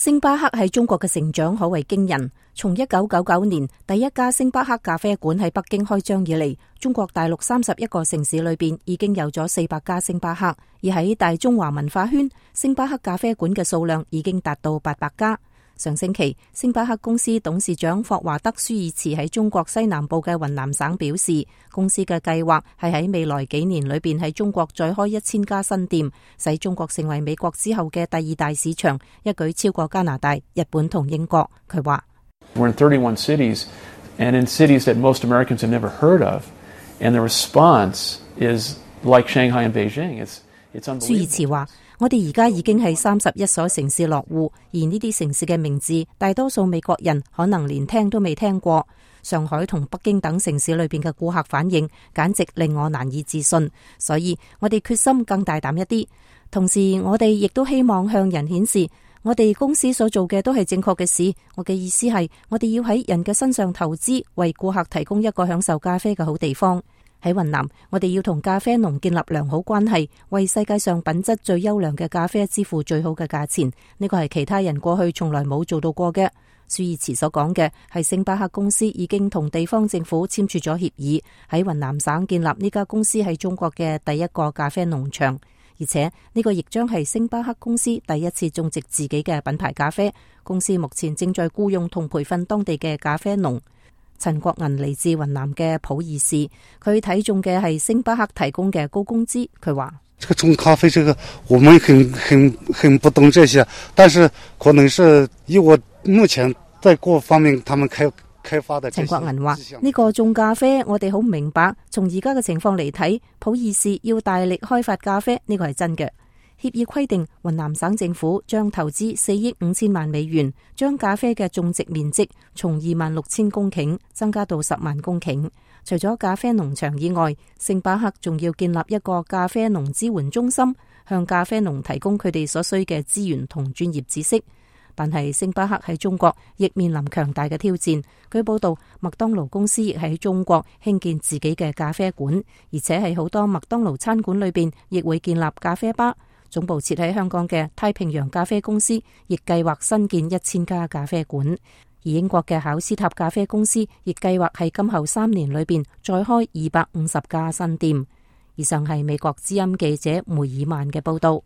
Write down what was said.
星巴克喺中國嘅成長可謂驚人。從1999年第一家星巴克咖啡館喺北京開張以嚟，中國大陸31個城市裏邊已經有咗400家星巴克，而喺大中華文化圈，星巴克咖啡館嘅數量已經達到800家。上星期，星巴克公司董事長霍華德舒爾茨喺中國西南部嘅雲南省表示，公司嘅計劃係喺未來幾年裏邊喺中國再開1000家新店，使中國成為美國之後嘅第2大市場，一舉超過加拿大、日本同英國。佢話：We're in 31 cities, and in cities that most Americans have never heard of, and the response is like Shanghai and Beijing. It's unbelievable. 舒爾茨話：我哋而家已經喺31所城市落戶，而呢啲城市嘅名字，大多數美國人可能連聽都未聽過。上海同北京等城市裏邊嘅顧客反應，簡直令我難以置信。所以我哋決心更大膽一啲，同時我哋亦都希望向人顯示，我哋公司所做嘅都係正確嘅事。我嘅意思係，我哋要喺人嘅身上投資，為顧客提供一個享受咖啡嘅好地方。喺雲南，我哋要同咖啡農建立良好關係，為世界上品質最優良嘅咖啡支付最好嘅價錢。呢個係其他人過去從來冇做到過嘅。舒爾茨所講嘅係星巴克公司已經同地方政府簽署咗協議，喺雲南省建立呢家公司喺中國嘅第一個咖啡農場，而且呢個亦將係星巴克公司第一次種植自己嘅品牌咖啡。公司目前正在僱用同培訓當地嘅咖啡農。陳國銀嚟自雲南嘅普洱市，佢睇中嘅係星巴克提供嘅高工資。佢話：這個種咖啡，這個我們很不懂這些，但是可能是以我目前在各方面他們開發的。陳國銀話：呢個種咖啡我哋好唔明白，從而家嘅情況嚟睇，普洱市要大力開發咖啡，呢個係真嘅。協議規定，雲南省政府將投資4億5千萬美元，將咖啡嘅種植面積從26,000公頃增加到10萬公頃。除咗咖啡農場以外，星巴克仲要建立一個咖啡農支援中心，向咖啡農提供佢哋所需嘅資源同專業知識。但係星巴克喺中國亦面臨強大嘅挑戰。據報道，麥當勞公司亦喺中國興建自己嘅咖啡館，而且喺好多麥當勞餐館裏邊亦會建立咖啡吧。總部設喺香港嘅太平洋咖啡公司亦計劃新建1000家咖啡館，而英國嘅考斯塔咖啡公司亦計劃喺今後3年裏邊再開250家新店。以上係美國之音記者梅爾曼嘅報道。